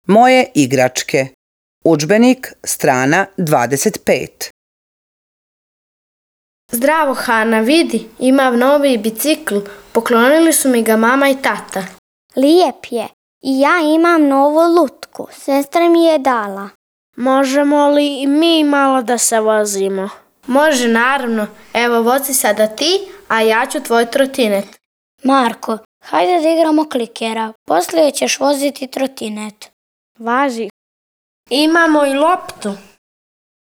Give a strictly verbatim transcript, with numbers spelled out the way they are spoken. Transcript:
Moje igračke. Udžbenik, strana dvadeset pet. Zdravo, Hana, vidi, imam novi bicikl. Poklonili su mi ga mama i tata. Lijep je. I ja imam novu lutku. Sestra mi je dala. Možemo li i mi malo da se vozimo? Može, naravno. Evo, vozi sada ti, a ja ću tvoj trotinet. Marko, hajde da igramo klikera. Poslije ćeš voziti trotinet. Važi. Imamo i loptu.